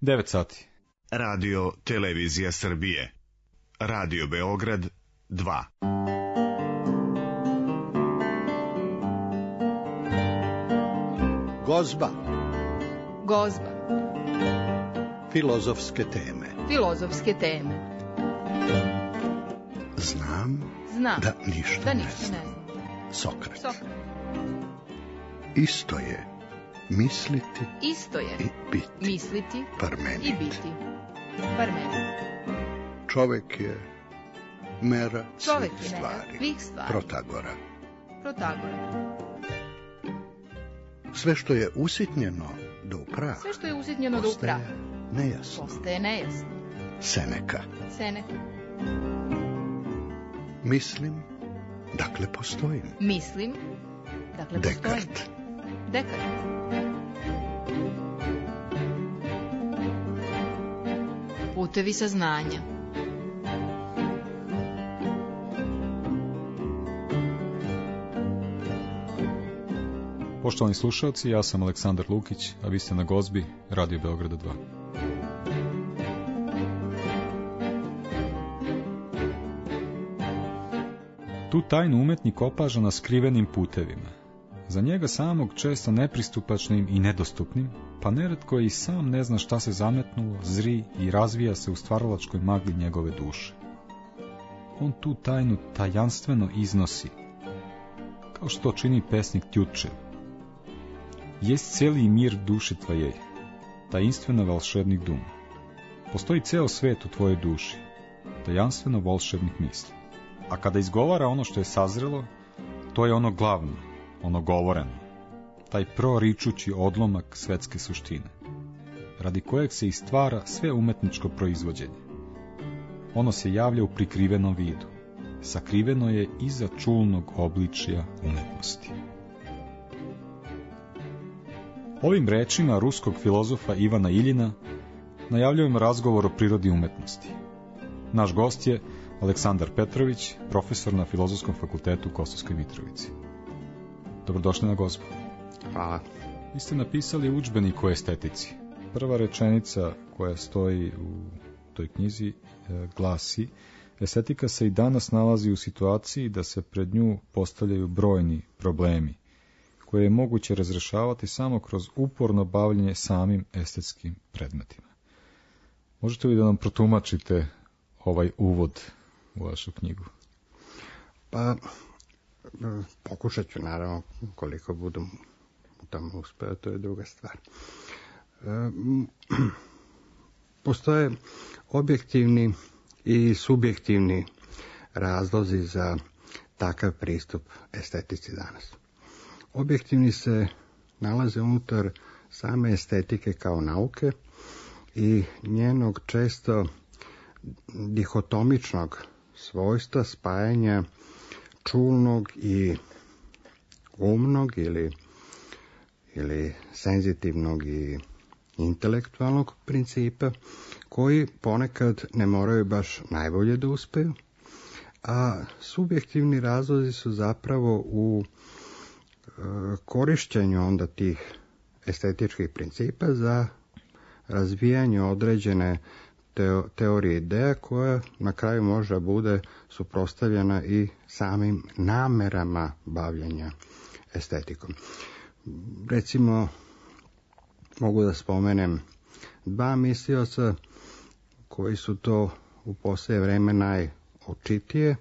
9 sati. Radio Televizija Srbije. Radio Beograd 2. Gozba. Gozba. Filozofske teme. Filozofske teme. Znam da ništa ne znam. Sokrat. Isto je misliti i biti. Misliti Parmenid. i biti. Parmenid. Čovek je mera Čovek svih je mera stvari. svih stvari. Protagora. Sve što je usitnjeno do upraha. Sve što je usitnjeno do upraha. Nejasno. Postaje nejasno. Seneka. Mislim, dakle postojim. Mislim, dakle postojim. Dekart. Putevi saznanja. Poštovani slušalci, ja sam Aleksandar Lukić, a vi ste na Gozbi, Radio Beograda 2. Tu tajnu umetnik opaža na skrivenim putevima. Za njega samog često nepristupačnim i nedostupnim, pa neretko i sam ne zna šta se zametnulo, zri i razvija se u stvaralačkoj magli njegove duše. On tu tajnu tajanstveno iznosi, kao što čini pesnik Tjutčev. Jest cijeli mir duše tvoje, tajinstveno volšebnih dum. Postoji ceo svet u tvojoj duši, tajanstveno volšebnih misli. A kada izgovara ono što je sazrelo, to je ono glavno, ono govoreno, taj proričući odlomak svetske suštine, radi kojeg se i stvara sve umetničko proizvođenje. Ono se javlja u prikrivenom vidu, sakriveno je iza čulnog obličja umetnosti. Ovim rečima ruskog filozofa Ivana Iljina najavljujemo razgovor o prirodi umetnosti. Naš gost je Aleksandar Petrović, profesor na Filozofskom fakultetu u Kosovskoj Mitrovici. Dobrodošli na Gozbu. Hvala. Vi ste napisali udžbenik o estetici. Prva rečenica koja stoji u toj knjizi glasi: estetika se i danas nalazi u situaciji da se pred nju postavljaju brojni problemi, koje je moguće razrešavati samo kroz uporno bavljenje samim estetskim predmetima. Možete li da nam protumačite ovaj uvod u vašu knjigu? Pa, pokušat ću, naravno, koliko budem u tom uspeo, to je druga stvar. Postoje objektivni i subjektivni razlozi za takav pristup estetici danas. Objektivni se nalaze unutar same estetike kao nauke i njenog često dihotomičnog svojstva spajanja čulnog i umnog ili senzitivnog i intelektualnog principa, koji ponekad ne moraju baš najbolje da uspeju, a subjektivni razlozi su zapravo u korišćenju onda tih estetičkih principa za razvijanje određene teorije ideja koja na kraju možda bude suprotstavljena i samim namerama bavljenja estetikom. Recimo, mogu da spomenem dva mislioca koji su to u poslije vreme najočitije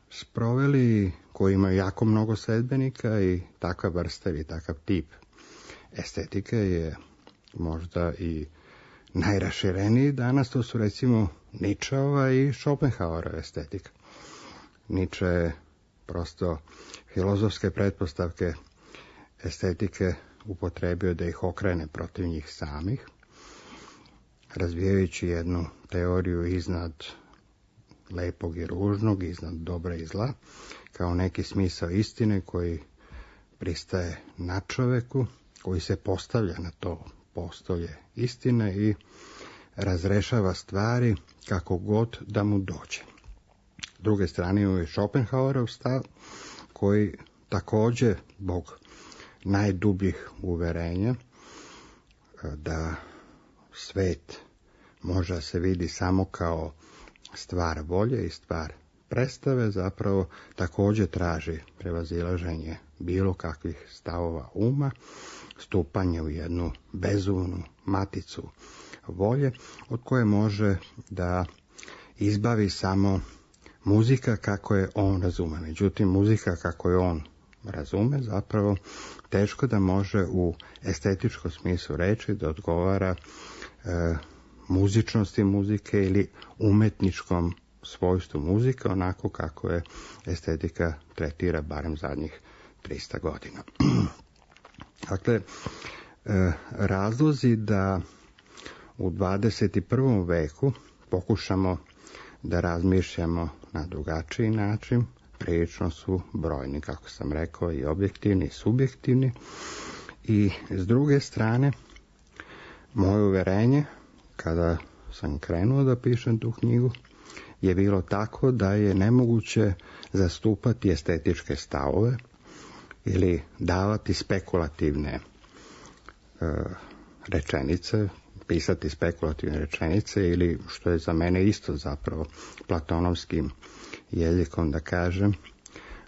sproveli, koji imaju jako mnogo sledbenika, i takva vrsta ili takav tip estetike je možda i najrašireniji danas. To su recimo Nietzscheova i Schopenhauerova estetika. Nietzsche je prosto filozofske pretpostavke estetike upotrebio da ih okrene protiv njih samih, razvijajući jednu teoriju iznad lepog i ružnog, iznad dobra i zla, kao neki smisao istine koji pristaje na čoveku, koji se postavlja na to postolje istine i razrešava stvari kako god da mu dođe. S druge strane je Schopenhauerov stav, koji također zbog najdubljih uverenja da svet može da se vidi samo kao stvar volje i stvar predstave, zapravo također traži prevazilaženje bilo kakvih stavova uma, stupanje u jednu bezumnu maticu volje, od koje može da izbavi samo muzika kako je on razume. Međutim, muzika kako je on razume zapravo teško da može u estetičkom smislu reći da odgovara muzičnosti muzike ili umetničkom svojstvu muzike, onako kako je estetika tretira barem zadnjih 300 godina. Dakle, razlozi da u 21. veku pokušamo da razmišljamo na drugačiji način, prilično su brojni, kako sam rekao, i objektivni i subjektivni. I s druge strane, moje uverenje, kada sam krenuo da pišem tu knjigu, je bilo tako da je nemoguće zastupati estetičke stavove ili davati spekulativne rečenice, pisati spekulativne rečenice ili, što je za mene isto zapravo platonovskim jezikom da kažem,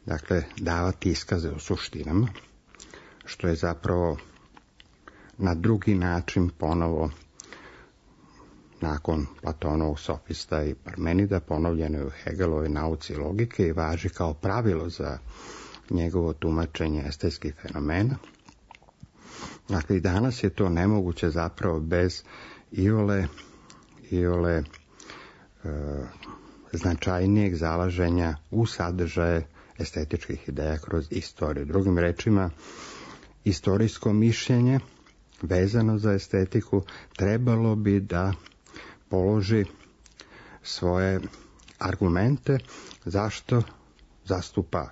dakle davati iskaze o suštinama, što je zapravo na drugi način ponovo nakon Platonovog sofista i Parmenida ponovljeno je u Hegelovoj nauci logike i važi kao pravilo za njegovo tumačenje estetskih fenomena. Dakle, i danas je to nemoguće zapravo bez iole značajnijeg zalaženja u sadržaje estetičkih ideja kroz istoriju. Drugim rečima, istorijsko mišljenje vezano za estetiku trebalo bi da položi svoje argumente zašto zastupa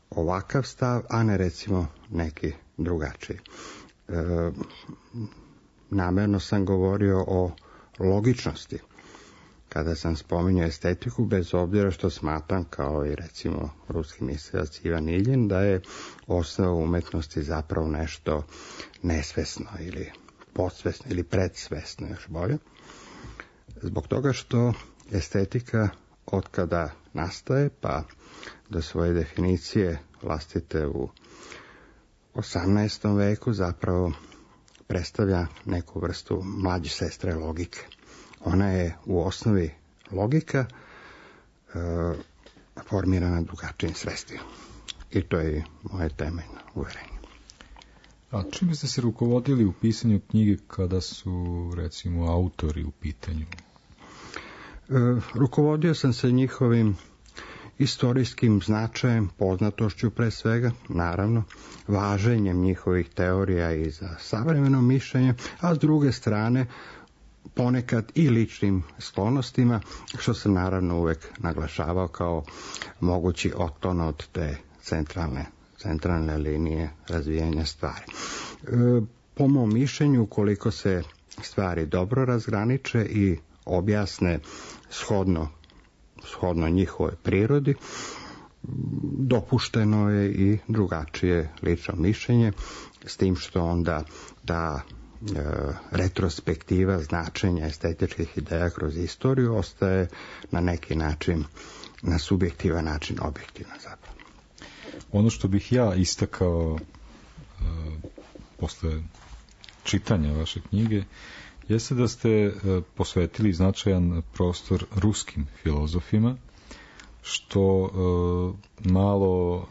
ovakav stav, a ne recimo neki drugačiji. Namjerno sam govorio o logičnosti kada sam spominjao estetiku, bez obzira što smatram, kao i recimo ruski mislilac Ivan Iljin, da je osnova umetnosti zapravo nešto nesvesno ili podsvesno ili predsvesno, još bolje. Zbog toga što estetika otkada nastaje pa do svoje definicije vlastite u 18. veku zapravo predstavlja neku vrstu mlađe sestre logike. Ona je u osnovi logika formirana drugačijim sredstvima. I to je moje temeljno uverenje. A čime ste se rukovodili u pisanju knjige kada su, recimo, autori u pitanju? Rukovodio sam se njihovim istorijskim značajem, poznatošću pre svega, naravno, važenjem njihovih teorija i za savremeno mišljenje, a s druge strane ponekad i ličnim sklonostima, što sam naravno uvek naglašavao kao mogući otklon od te centralne linije razvijanja stvari. Po mom mišljenju, ukoliko se stvari dobro razgraniče i objasne shodno njihovoj prirodi, dopušteno je i drugačije lično mišljenje, s tim što onda ta retrospektiva značenja estetičkih ideja kroz istoriju ostaje na neki način, na subjektivan način, objektivna zapravo. Ono što bih ja istakao posle čitanja vaše knjige jeste da ste posvetili značajan prostor ruskim filozofima, što malo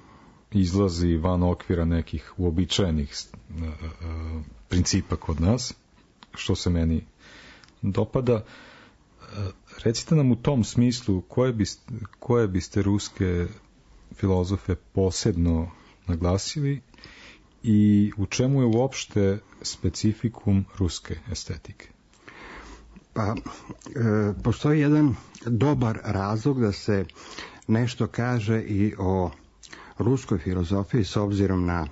izlazi van okvira nekih uobičajenih principa kod nas, što se meni dopada. Recite nam u tom smislu koje biste ruske filozofe posebno naglasili i u čemu je uopšte specifikum ruske estetike? Pa, postoji jedan dobar razlog da se nešto kaže i o ruskoj filozofiji s obzirom na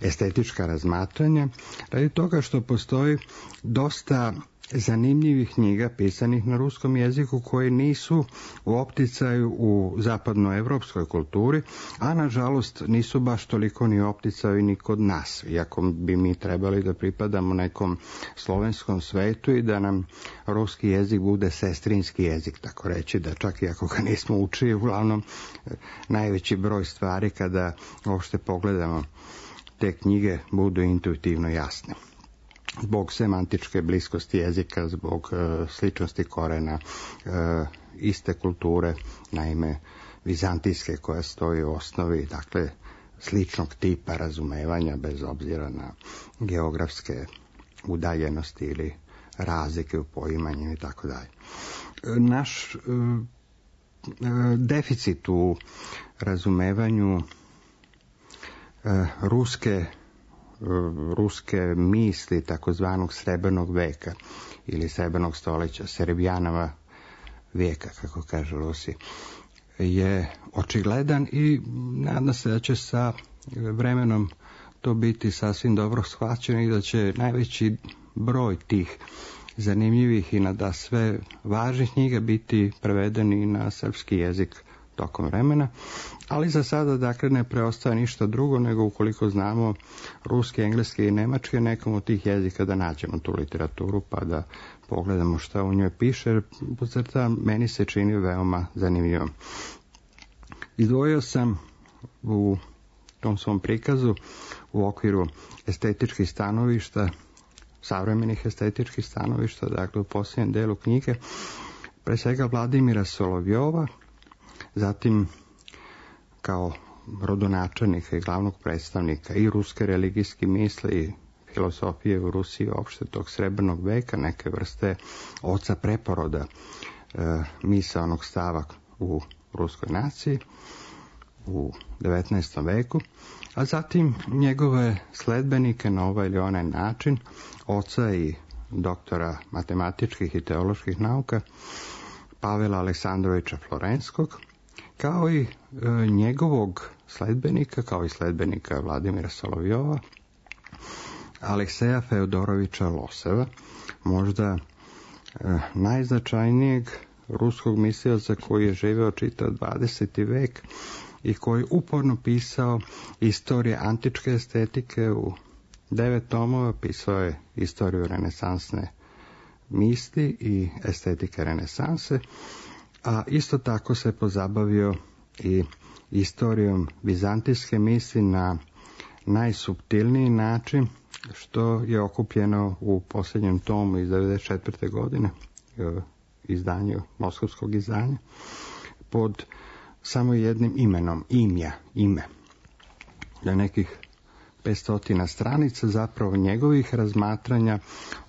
estetička razmatranja, radi toga što postoji dosta zanimljivih knjiga pisanih na ruskom jeziku koji nisu u opticaju u zapadnoevropskoj kulturi, a nažalost nisu baš toliko ni u opticaju ni kod nas, iako bi mi trebali da pripadamo nekom slovenskom svetu i da nam ruski jezik bude sestrinski jezik, tako reći, da čak i ako ga nismo učili, uglavnom najveći broj stvari kada uopšte pogledamo te knjige budu intuitivno jasne. Zbog semantičke bliskosti jezika, zbog sličnosti korena, iste kulture, naime vizantijske koja stoji u osnovi, dakle sličnog tipa razumevanja bez obzira na geografske udaljenosti ili razlike u poimanju i tako dalje. Naš deficit u razumevanju ruske misli takozvanog srebrnog veka ili srebrnog stoljeća, Serebijanova vijeka, kako kažu Rusi, je očigledan i nadam se da će sa vremenom to biti sasvim dobro shvaćeno i da će najveći broj tih zanimljivih i nadasve važnih knjiga biti prevedeni na srpski jezik tokom vremena, ali za sada dakle ne preostaje ništa drugo nego ukoliko znamo ruski, engleski i nemački, nekom od tih jezika da nađemo tu literaturu pa da pogledamo šta u njoj piše, jer podcrtavam, meni se čini veoma zanimljivom. Izdvojio sam u tom svom prikazu u okviru estetičkih stanovišta, savremenih estetičkih stanovišta, dakle u posljednjem delu knjige, pre svega Vladimira Solovjova, zatim kao rodonačelnika i glavnog predstavnika i ruske religijske misli i filosofije u Rusiji uopšte tog srebrnog veka, neke vrste oca preporoda misaonog stava u ruskoj naciji u 19. veku, a zatim njegove sledbenike na ovaj ili onaj način, oca i doktora matematičkih i teoloških nauka Pavela Aleksandrovića Florenskog, kao i njegovog sledbenika, kao i sledbenika Vladimira Solovjova, Alekseja Feodorovića Loseva, možda najznačajnijeg ruskog mislioca koji je živeo čitav 20. vek i koji uporno pisao istorije antičke estetike u 9 tomova, pisao je istoriju renesansne misli i estetike renesanse, a isto tako se pozabavio i istorijom vizantijske misli na najsuptilniji način, što je okupljeno u posljednjem tomu iz 1994. godine, izdanju, moskovskog izdanja, pod samo jednim imenom, ime. Na nekih 500 stranica zapravo njegovih razmatranja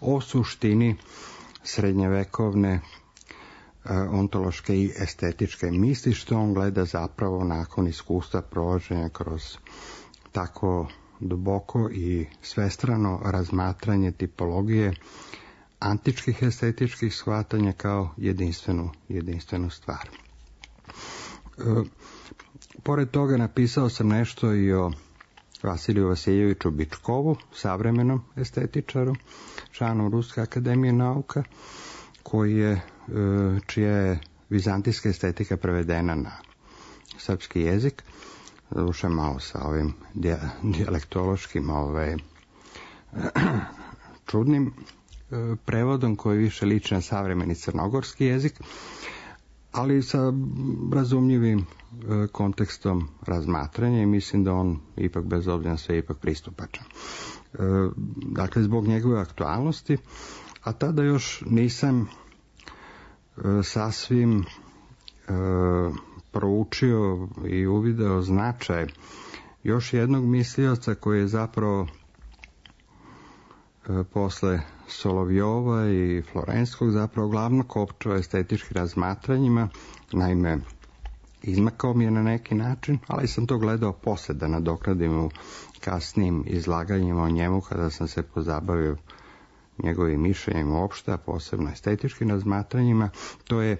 o suštini srednjevekovne ontološke i estetičke misli, što on gleda zapravo nakon iskustva provođenja kroz tako duboko i svestrano razmatranje tipologije antičkih estetičkih shvatanja kao jedinstvenu stvar. Pored toga napisao sam nešto i o Vasiliju Vasiljeviću Bičkovu, savremenom estetičaru, članu Ruske akademije nauka, čija je vizantijska estetika prevedena na srpski jezik, doduše malo sa ovim dijalektološkim čudnim prevodom koji više liči na savremeni crnogorski jezik, ali sa razumljivim kontekstom razmatranja i mislim da on ipak bez obzira na sve ipak pristupačan. Dakle, zbog njegove aktualnosti, a tada još nisam sasvim proučio i uvideo značaj još jednog mislioca koji je zapravo posle Solovjova i Florenskog zapravo glavno kopčao estetičkim razmatranjima, naime izmakao mi je na neki način, ali sam to gledao posle da nadokradim u kasnijim izlaganjima o njemu kada sam se pozabavio njegovim mišljenjem uopšte, a posebno estetičkim razmatranjima. To je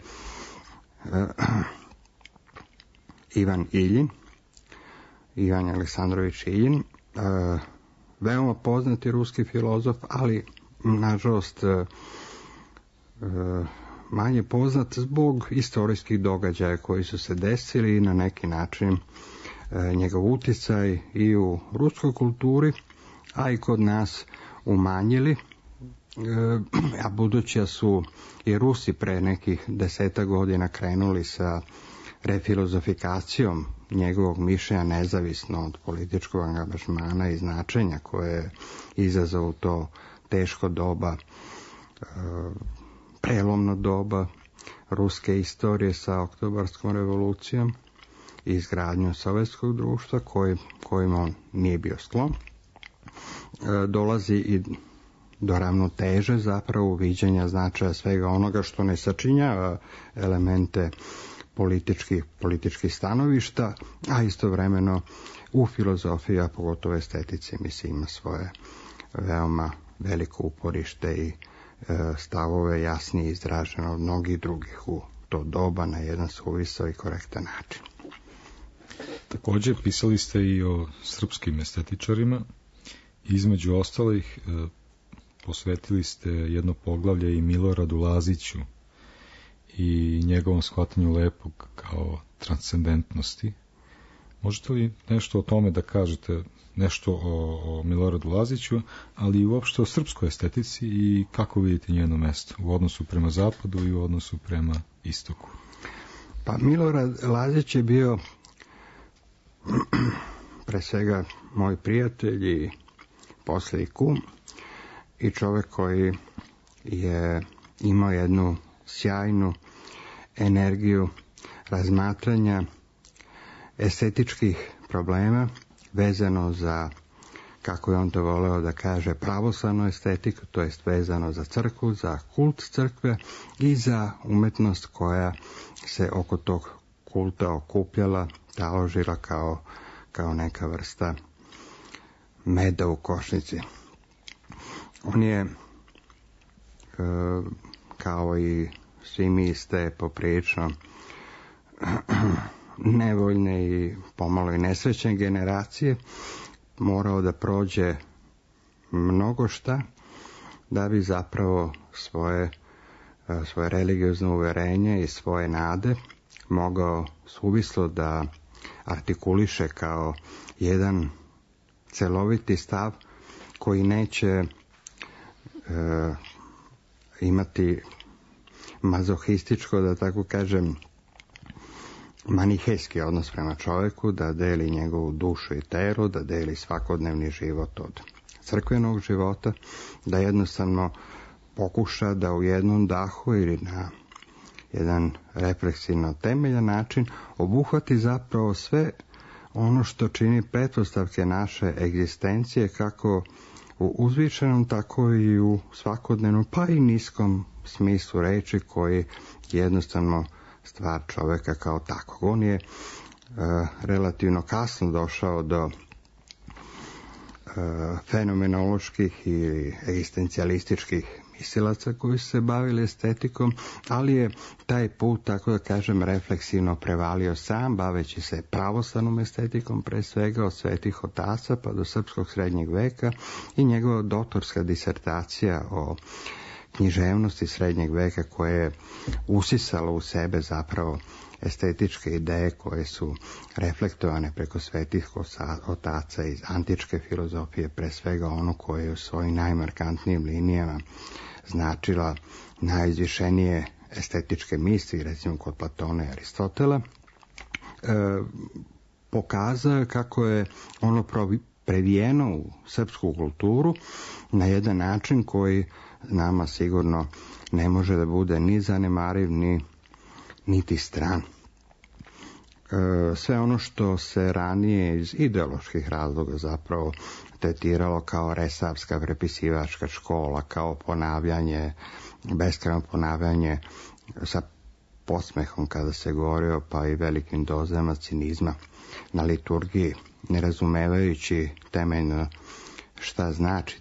Ivan Aleksandrović Iljin, veoma poznati ruski filozof, ali nažalost manje poznat zbog istorijskih događaja koji su se desili i na neki način njegov utjecaj i u ruskoj kulturi, a i kod nas umanjili, a budući da su i Rusi pre nekih 10 godina krenuli sa refilozofikacijom njegovog mišljenja nezavisno od političkog angažmana i značenja koje je izazvalo to teško doba, prelomno doba ruske istorije sa oktobarskom revolucijom i izgradnjom sovjetskog društva kojim on nije bio sklon, dolazi i do ravnoteže zapravo viđenja značaja svega onoga što ne sačinjava elemente političkih stanovišta, a istovremeno u filozofiji, a pogotovo estetici, mislim, ima svoje veoma veliko uporište i stavove jasnije izražene od mnogih drugih u to doba na jedan suvisao i korektan način. Također pisali ste i o srpskim estetičarima. Između ostalih posvetili ste jedno poglavlje i Miloradu Laziću i njegovom shvatanju lepog kao transcendentnosti. Možete li nešto o tome da kažete, nešto o Miloradu Laziću, ali i uopšte o srpskoj estetici i kako vidite njeno mesto u odnosu prema zapadu i u odnosu prema istoku? Pa Milorad Lazić je bio pre svega moj prijatelj i poslije i kum i čovjek koji je imao jednu sjajnu energiju razmatranja estetičkih problema vezano za, kako je on to voleo da kaže, pravoslavnu estetiku, to jest vezano za crkvu, za kult crkve i za umetnost koja se oko tog kulta okupljala, taložila kao neka vrsta meda u košnici. On je, kao i svi mi ste poprilično nevoljne i pomalo i nesrećne generacije, morao da prođe mnogo šta da bi zapravo svoje religiozno uverenje i svoje nade mogao suvislo da artikuliše kao jedan celoviti stav koji neće imati mazohističko, da tako kažem, manihejski odnos prema čovjeku, da deli njegovu dušu i telo, da deli svakodnevni život od crkvenog života, da jednostavno pokuša da u jednom dahu ili na jedan refleksivno temeljan način obuhvati zapravo sve ono što čini pretpostavke naše egzistencije, kako u uzvišenom, tako i u svakodnevnom, pa i niskom smislu reči, koji jednostavno stvar čovjeka kao takvog. On je relativno kasno došao do fenomenoloških i egzistencijalističkih mislilaca koji su se bavili estetikom, ali je taj put, tako da kažem, refleksivno prevalio sam, baveći se pravoslavnom estetikom, pre svega od svetih otaca pa do srpskog srednjeg veka, i njegova doktorska disertacija o književnosti srednjeg veka, koje je usisalo u sebe zapravo estetičke ideje koje su reflektovane preko svetih otaca iz antičke filozofije, pre svega ono koje je u svojim najmarkantnijim linijama značila najizvišenije estetičke misli, recimo kod Platona i Aristotela, pokazao kako je ono previjeno u srpsku kulturu na jedan način koji nama sigurno ne može da bude ni zanemariv, niti stran. Sve ono što se ranije iz ideoloških razloga zapravo tretiralo kao resavska prepisivačka škola, kao ponavljanje, beskrajno ponavljanje sa podsmehom kada se govorio, pa i velikim dozama cinizma na liturgiji, ne razumevajući temeljno šta znači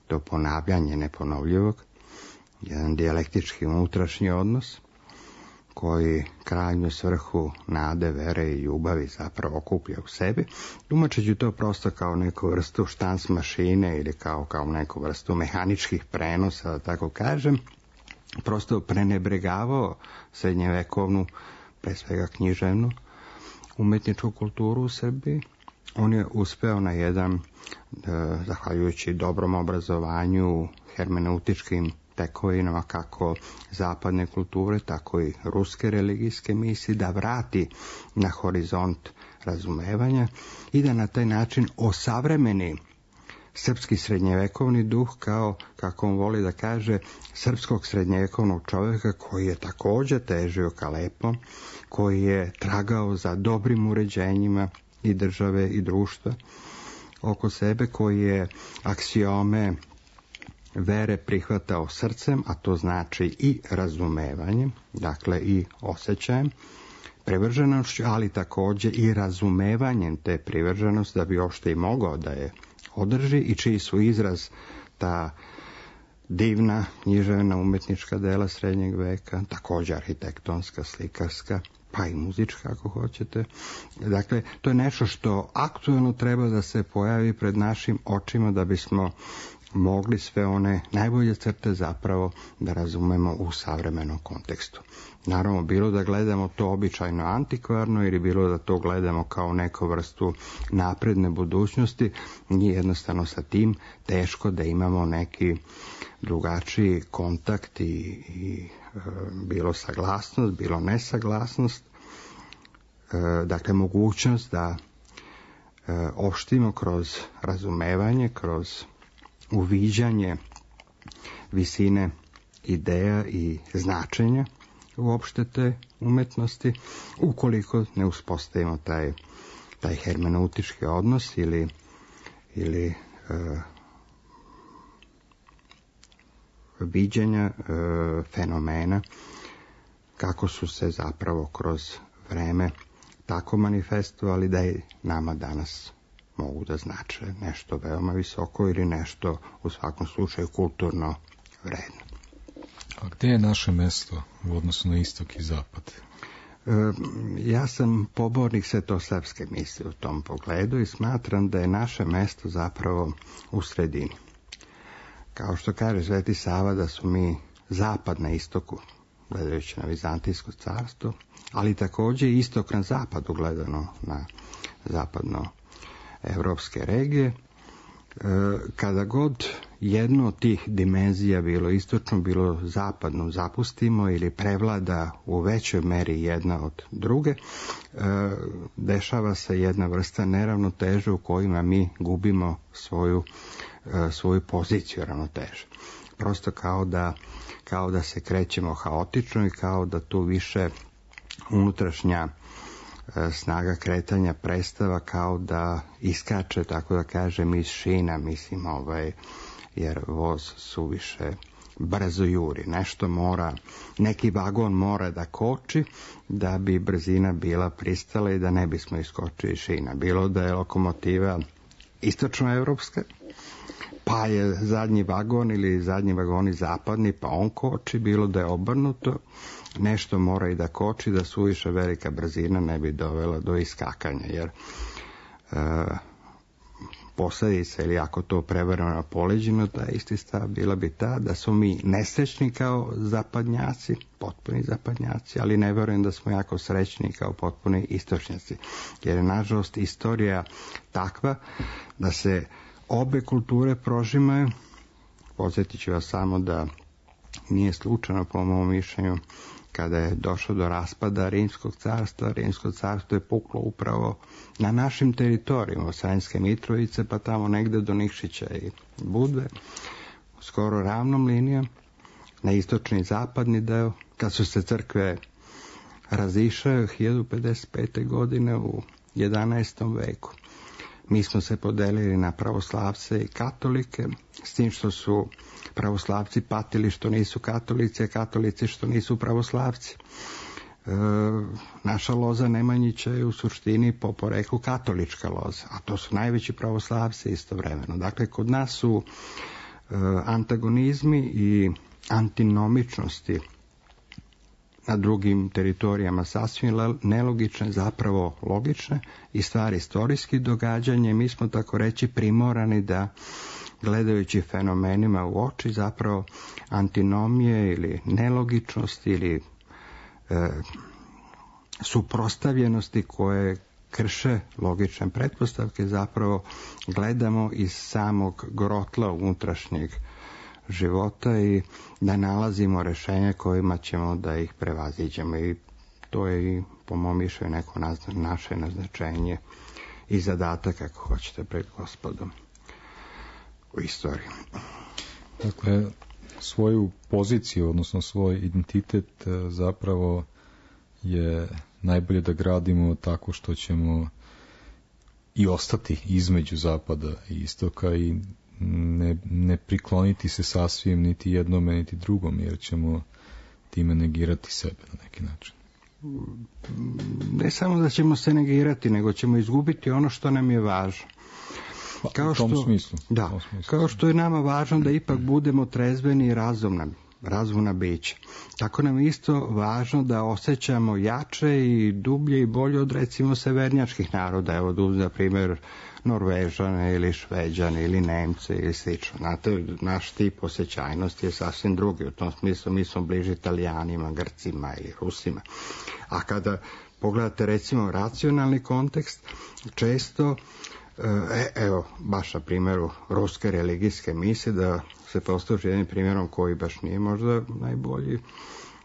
to ponavljanje neponovljivog, jedan dijalektički unutrašnji odnos koji krajnju svrhu nade, vere i ljubavi zapravo okuplja u sebi, tumačeći to prosto kao neku vrstu štanc mašine ili kao neku vrstu mehaničkih prenosa, da tako kažem, prosto prenebregavao srednjevekovnu, pre svega književnu, umetničku kulturu u Srbiji. On je uspeo na jedan, zahvaljujući dobrom obrazovanju, hermeneutičkim tekovinama kako zapadne kulture, tako i ruske religijske misli, da vrati na horizont razumevanja i da na taj način osavremeni srpski srednjevekovni duh kao, kako on voli da kaže, srpskog srednjevekovnog čovjeka koji je također težio ka lepom, koji je tragao za dobrim uređenjima i države i društva oko sebe, koji je aksiome vere prihvatao srcem, a to znači i razumevanjem, dakle i osjećajem, privrženošću, ali također i razumevanjem te privrženosti da bi uopšte i mogao da je održi i čiji su izraz ta divna književna umetnička dela srednjeg veka, također arhitektonska, slikarska, pa i muzička ako hoćete. Dakle, to je nešto što aktuelno treba da se pojavi pred našim očima da bismo mogli sve one najbolje crte zapravo da razumemo u savremenom kontekstu. Naravno, bilo da gledamo to običajno antikvarno ili bilo da to gledamo kao neku vrstu napredne budućnosti, nije jednostavno sa tim teško da imamo neki drugačiji kontakt i bilo saglasnost, bilo nesaglasnost, dakle mogućnost da opštimo kroz razumevanje, kroz uviđanje visine ideja i značenja uopšte te umetnosti, ukoliko ne uspostavimo taj hermeneutički odnos ili viđenja fenomena kako su se zapravo kroz vreme tako manifestovali da i nama danas mogu da znače nešto veoma visoko ili nešto u svakom slučaju kulturno vredno. A gdje je naše mesto u odnosu na istok i zapad? Ja sam pobornik svetosavske misli u tom pogledu i smatram da je naše mesto zapravo u sredini. Kao što kaže Sveti Sava da su mi zapad na istoku, gledajući na Vizantijsko carstvo, ali također i istok na zapadu, gledano na zapadno evropske regije. Kada god jedno od tih dimenzija, bilo istočno, bilo zapadno, zapustimo ili prevlada u većoj meri jedna od druge, dešava se jedna vrsta neravnoteže u kojima mi gubimo svoju poziciju ravnoteže. Prosto kao da se krećemo haotično i kao da tu više unutrašnja snaga kretanja prestava, kao da iskače, tako da kažem, iz šina, mislim, jer voz suviše brzo juri. Nešto mora, neki vagon mora da koči da bi brzina bila pristala i da ne bismo iskočili iz šina. Bilo da je lokomotiva istočnoevropska, pa je zadnji vagon ili zadnji vagoni zapadni, pa on koči, bilo da je obrnuto, nešto mora i da koči, da suviše velika brzina ne bi dovela do iskakanja, jer posljedica, ili ako to prevremeno poleđeno, ta isti stav bila bi ta da smo mi nesrećni kao zapadnjaci, potpuni zapadnjaci, ali ne vjerujem da smo jako srećni kao potpuni istočnjaci, jer je nažalost istorija takva da se obe kulture prožimaju. Podsjetit ću vas samo da nije slučajno, po mom mišljenju, kada je došlo do raspada Rimskog carstva, Rimsko carstvo je puklo upravo na našim teritorijima, od Sremske Mitrovice pa tamo negde do Nikšića i Budve, skoro ravnom linijom, na istočni i zapadni deo, kad su se crkve razišle 1055. godine u 11. veku. Mi smo se podelili na pravoslavce i katolike, s tim što su pravoslavci patili što nisu katolici, a katolici što nisu pravoslavci. Naša loza Nemanjića je u suštini po poreklu katolička loza, a to su najveći pravoslavci istovremeno. Dakle, kod nas su antagonizmi i antinomičnosti na drugim teritorijama sasvim nelogične, zapravo logične i stvari istorijskih događanja. Mi smo, tako reći, primorani da, gledajući fenomenima u oči, zapravo antinomije ili nelogičnosti ili suprotstavljenosti koje krše logične pretpostavke, zapravo gledamo iz samog grotla unutrašnjeg života i da nalazimo rješenja kojima ćemo da ih prevaziđemo. I to je i, po mom mišljenju, neko naše naznačenje i zadatak, ako hoćete, pred Gospodom u istoriji. Dakle, svoju poziciju, odnosno svoj identitet zapravo je najbolje da gradimo tako što ćemo i ostati između zapada i istoka i ne prikloniti se sasvim niti jednome niti drugom, jer ćemo time negirati sebe na neki način. Ne samo da ćemo se negirati, nego ćemo izgubiti ono što nam je važno. U tom smislu. Da, kao što je nama važno da ipak budemo trezveni i razumna bića. Tako nam je isto važno da osjećamo jače i dublje i bolje od, recimo, severnjačkih naroda. Evo, za primjer, Norvežane ili Šveđane ili Nemce ili slično. Znate, naš tip osjećajnosti je sasvim drugi. U tom smislu mi smo bliži Italijanima, Grcima ili Rusima. A kada pogledate, recimo, racionalni kontekst, često, evo, baš na primjeru ruske religijske misije, da se posluži jednim primjerom koji baš nije možda najbolji,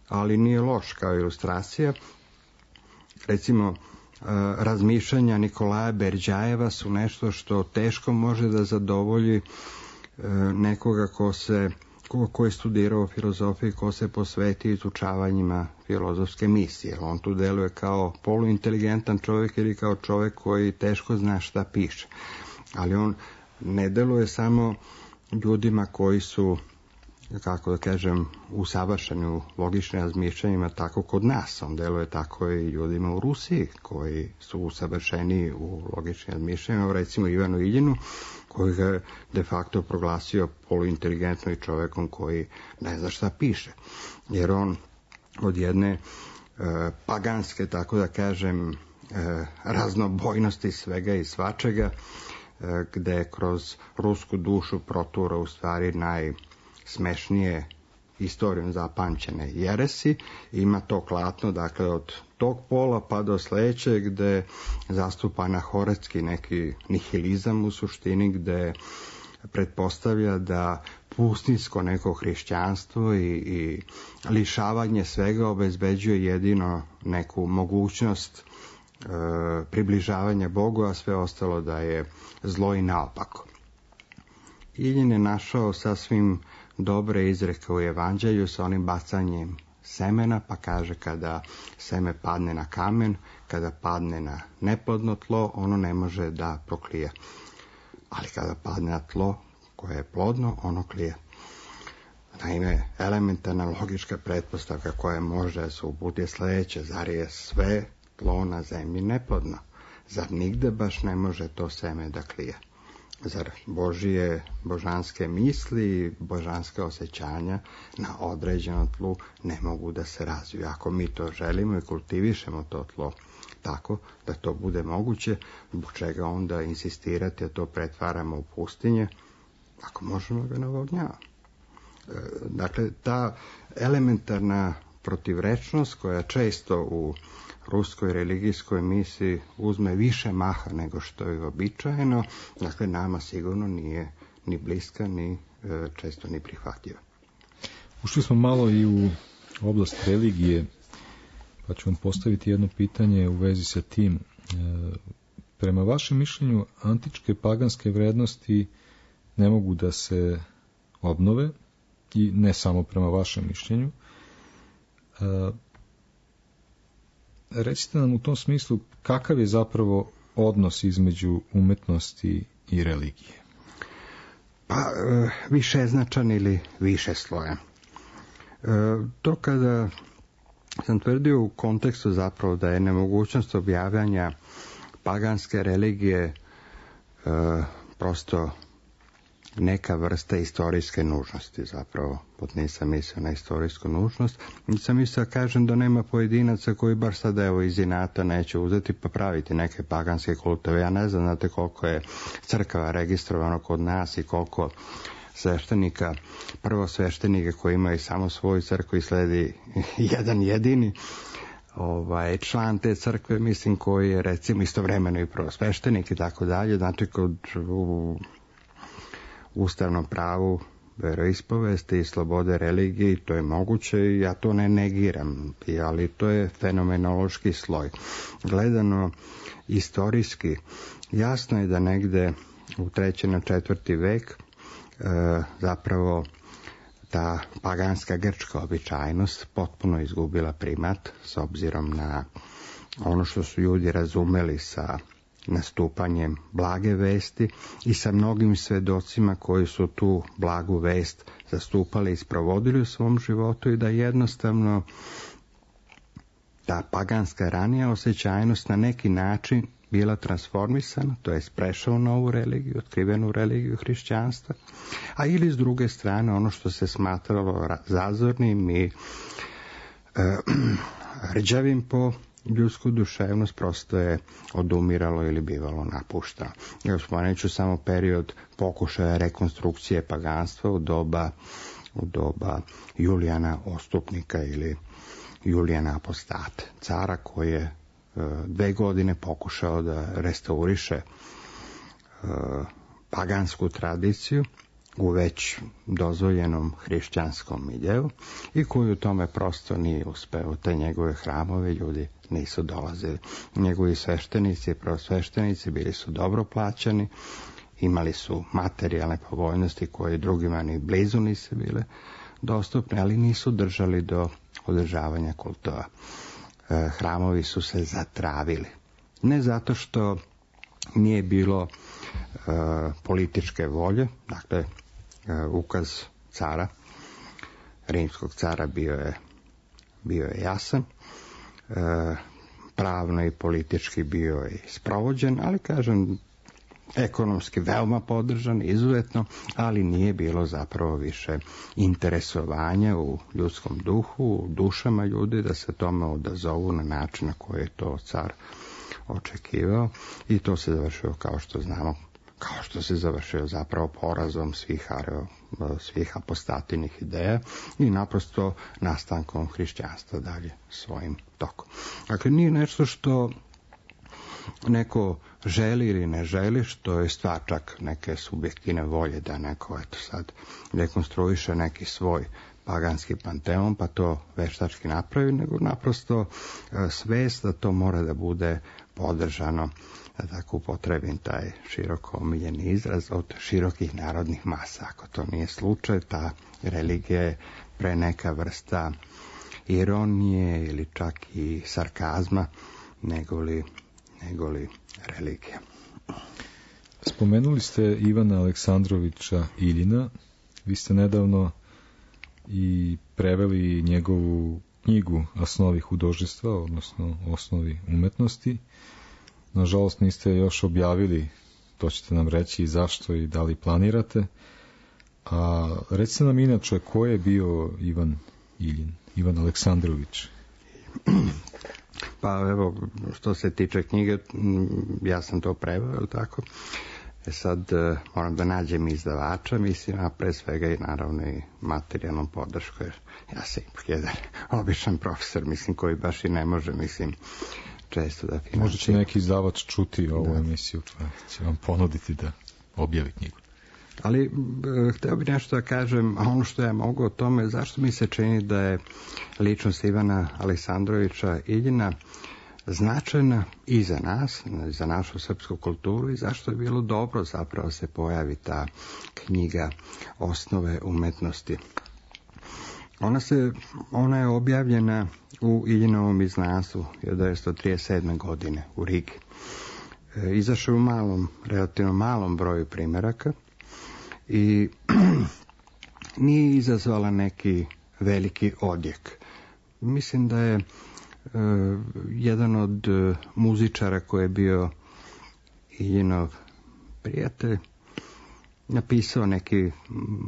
ali nije loš kao ilustracija. Recimo, razmišljanja Nikolaja Berdjajeva su nešto što teško može da zadovolji nekoga ko je studirao filozofiju, ko se posveti izučavanjima filozofske misije. On tu deluje kao poluinteligentan čovjek ili kao čovjek koji teško zna šta piše. Ali on ne deluje samo ljudima koji su, kako da kažem, usavršeni u logičnim razmišljanjima tako kod nas. On deluje tako i ljudima u Rusiji koji su usavršeni u logičnim razmišljanjima, recimo Ivanu Iljinu, koji ga de facto proglasio poluinteligentnom i čovjekom koji ne zna šta piše. Jer on od jedne paganske, tako da kažem, raznobojnosti svega i svačega, gde kroz rusku dušu protura u stvari najsmešnije istorijom zapamćene jeresi, ima to klatno, dakle, od tog pola pa do sljedećeg, gde zastupa anahoretski neki nihilizam u suštini, gde pretpostavlja da pustinsko neko hrišćanstvo i lišavanje svega obezbeđuje jedino neku mogućnost približavanja Bogu, a sve ostalo da je zlo i naopako. Iljin je našao sasvim dobre izreke u Evanđelju sa onim bacanjem semena, pa kaže kada seme padne na kamen, kada padne na neplodno tlo, ono ne može da proklije. Ali kada padne na tlo koje je plodno, ono klije. Naime, elementarna logička pretpostavka koja može da se uputi je sljedeće: zar je sve tlo na zemlji neplodno? Zar nigde baš ne može to seme da klije? Zar Božije božanske misli i božanske osjećanja na određenom tlu ne mogu da se razviju? Ako mi to želimo i kultivišemo to tlo tako da to bude moguće, zbog čega onda insistirati da to pretvaramo u pustinje, ako možemo ga navodnjavamo? Dakle, ta elementarna protivrečnost koja često u ruskoj religijskoj misiji uzme više maha nego što je uobičajeno, dakle, nama sigurno nije ni bliska, ni često ni prihvatljiva. Ušli smo malo i u oblast religije, pa ću vam postaviti jedno pitanje u vezi sa tim. Prema vašem mišljenju, antičke paganske vrednosti ne mogu da se obnove, i ne samo prema vašem mišljenju. Recite nam u tom smislu kakav je zapravo odnos između umetnosti i religije? Pa, višeznačan ili više slojan. To kada sam tvrdio u kontekstu zapravo da je nemogućnost objavljanja paganske religije prosto neka vrsta istorijske nužnosti, zapravo, pod nisam mislio na istorijsku nužnost, nisam mislio da kažem da nema pojedinaca koji baš sad evo iz inata neće uzeti pa praviti neke paganske kultove. Ja ne znam, znate koliko je crkava registrovano kod nas i koliko sveštenika, prvo sveštenike koji imaju samo svoju crkvu i sledi jedan jedini član te crkve, mislim, koji je recimo istovremeno i prvo sveštenik i tako dalje. Znači kod ustavnom pravu veroispovesti i slobode religije, to je moguće i ja to ne negiram, ali to je fenomenološki sloj. Gledano istorijski, jasno je da negde u 3. na 4. vek zapravo ta paganska grčka običajnost potpuno izgubila primat s obzirom na ono što su ljudi razumeli sa nastupanjem blage vesti i sa mnogim svedocima koji su tu blagu vest zastupali i sprovodili u svom životu i da jednostavno ta paganska ranija osjećajnost na neki način bila transformisana, to je prešao u novu religiju, otkrivenu religiju hrišćanstva, a ili s druge strane ono što se smatralo zazornim i rđavim po ljudsku duševnost prosto je odumiralo ili bivalo napuštano. Ja spomenut ću samo period pokušaja rekonstrukcije paganstva u doba Julijana Ostupnika ili Julijana Apostate, cara koji je 2 godine pokušao da restauriše pagansku tradiciju u već dozvoljenom hrišćanskom miljeu i koji u tome prosto nije uspeo. Te njegove hramove ljudi nisu dolazili. Njegovi sveštenici i prosveštenici bili su dobro plaćani, imali su materijalne povoljnosti koje drugima ni blizu nisu bile dostupne, ali nisu držali do održavanja kultova. Hramovi su se zatravili. Ne zato što nije bilo političke volje, dakle ukaz cara, rimskog cara bio je jasan, pravno i politički bio je sprovođen, ali kažem ekonomski veoma podržan, izuzetno, ali nije bilo zapravo više interesovanja u ljudskom duhu, u dušama ljudi da se tome odazovu na način na koji je to car očekivao i to se završilo, kao što znamo, kao što se završio zapravo porazom svih apostatinih ideja i naprosto nastankom hrišćanstva dalje svojim tokom. Dakle, nije nešto što neko želi ili ne želi, što je stvar čak neke subjektivne volje da neko sad rekonstruiše neki svoj paganski panteon pa to veštački napravi, nego naprosto svest da to mora da bude podržano, da tako upotrebim taj široko omiljeni izraz, od širokih narodnih masa. Ako to nije slučaj, ta religija je pre neka vrsta ironije ili čak i sarkazma negoli religija. Spomenuli ste Ivana Aleksandrovića Iljina. Vi ste nedavno i preveli njegovu knjigu Osnovi hudožestva, odnosno Osnovi umetnosti. Nažalost niste još objavili, to ćete nam reći zašto i da li planirate. A recite nam inače ko je bio Ivan Iljin, Ivan Aleksandrović? Pa evo, što se tiče knjige, ja sam to preveo, tako? Sad moram da nađem izdavača, mislim, a pre svega i naravno i materijalnom podršku, jer ja sam ipak jedan običan profesor, mislim, koji baš i ne može, mislim, često da finansira. Možda će neki izdavač čuti ovu emisiju, pa će vam ponuditi da objavi knjigu. Ali hteo bih nešto da kažem, a ono što ja mogu o tome, zašto mi se čini da je ličnost Ivana Aleksandrovića Iljina značajna i za nas, za našu srpsku kulturu i zašto je bilo dobro zapravo se pojavi ta knjiga Osnove umetnosti. Ona je objavljena u Iljinovom izdanstvu 1937. godine u Rigi. Izašao u relativno malom broju primjeraka i nije izazvala neki veliki odjek. Mislim da je jedan od muzičara koji je bio Iljinov prijatelj, napisao neki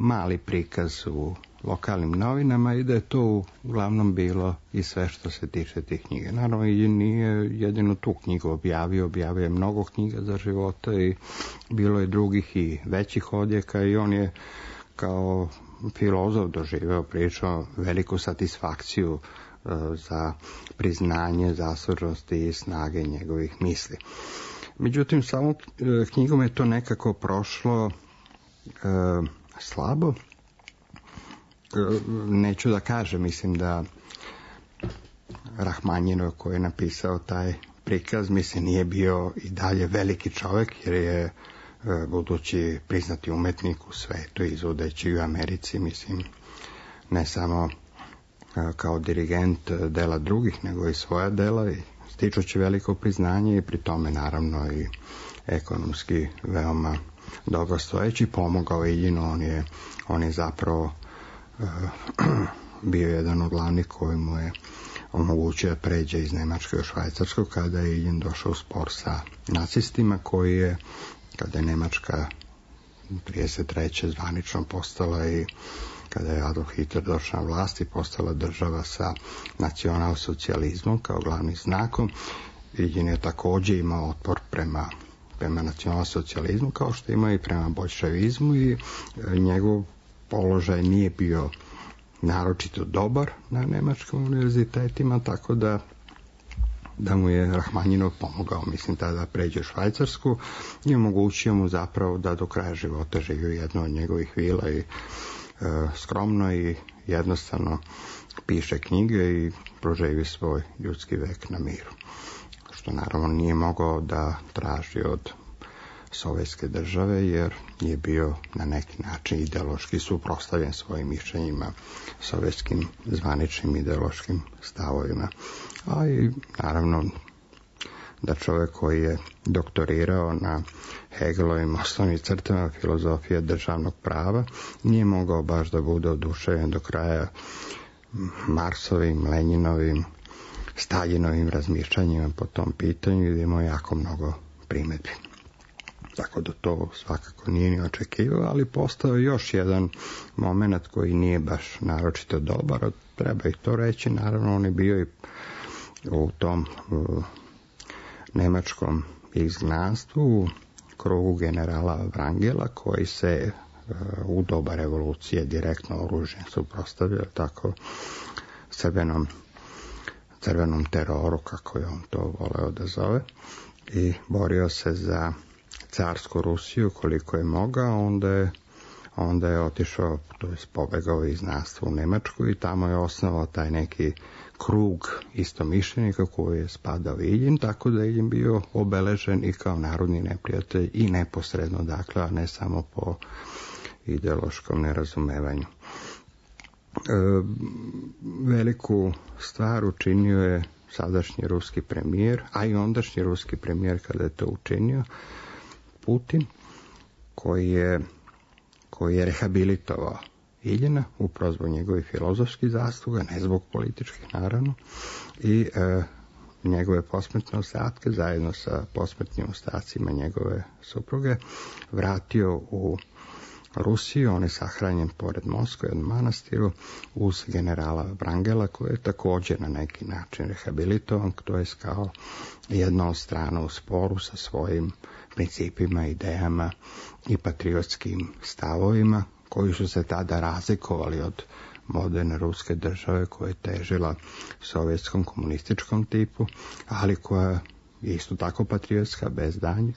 mali prikaz u lokalnim novinama i da je to uglavnom bilo i sve što se tiče tih knjiga. Naravno, i nije jedino tu knjigu objavio je mnogo knjiga za života i bilo je drugih i većih odjeka i on je kao filozof doživeo pričao veliku satisfakciju za priznanje zaslužnosti i snage njegovih misli. Međutim, samo knjigom je to nekako prošlo slabo. Neću da kažem, mislim da Rahmanjinov koji je napisao taj prikaz, mislim, nije bio i dalje veliki čovjek, jer je budući priznati umetnik u svetu, izvodeći u Americi, mislim, ne samo kao dirigent dela drugih, nego i svoja dela, i stičući veliko priznanje i pri tome naravno i ekonomski veoma dobro stojeći, pomogao Iljinu. On je zapravo bio jedan od glavnih koji mu je omogućio da pređe iz Nemačke u Švajcarsku kada je Iljin došao u spor sa nacistima, koji je, kada je Nemačka 1933. zvanično postala i kada je Adolf Hitler došao na vlast i postala država sa nacionalsocijalizmom kao glavnim znakom, Iljin je također imao otpor prema nacionalsocijalizmu, kao što ima i prema boljševizmu, i njegov položaj nije bio naročito dobar na nemačkim univerzitetima, tako da mu je Rahmanjinov pomogao, mislim, tada pređe u Švajcarsku i omogućio mu zapravo da do kraja života živi u jednoj od njegovih vila i skromno i jednostavno piše knjige i proživi svoj ljudski vek na miru. Što naravno nije mogao da traži od sovjetske države, jer je bio na neki način ideološki suprotstavljen svojim mišljenjima, sovjetskim zvaničnim ideološkim stavovima. A i naravno da čovjek koji je doktorirao na Hegelovim osnovnim crtama filozofije državnog prava nije mogao baš da bude oduševljen do kraja Marsovim, Lenjinovim, Staljinovim razmišljanjima po tom pitanju, i imao jako mnogo primjedbi. Tako da to svakako nije ni očekivao, ali postao je još jedan moment koji nije baš naročito dobar. Treba i to reći, naravno on je bio i u tom nemačkom izgnanstvu u krugu generala Wrangela, koji se u doba revolucije direktno oružjem suprotstavio tako crvenom teroru, kako je on to voleo da zove, i borio se za carsku Rusiju koliko je mogao. Onda je otišao, to je pobegao iz izgnanstva u Nemačku i tamo je osnovao taj neki krug istomišljenika koji je spadao Iljin, tako da je Iljin bio obeležen i kao narodni neprijatelj i neposredno, dakle, a ne samo po ideološkom nerazumevanju. Veliku stvar učinio je sadašnji ruski premijer, a i ondašnji ruski premijer kada je to učinio, Putin, koji je rehabilitovao Iljina, upravo zbog njegovih filozofskih zasluga, ne zbog političkih naravno, i njegove posmrtne ostatke zajedno sa posmrtnim ostacima njegove supruge vratio u Rusiju. On je sahranjen pored Moskve u manastiru uz generala Wrangela, koji je također na neki način rehabilitovan, to je kao jedna od strana u sporu sa svojim principima, idejama i patriotskim stavovima, koji su se tada razlikovali od moderne ruske države koja je težila sovjetskom komunističkom tipu, ali koja je isto tako patriotska bez danjeg.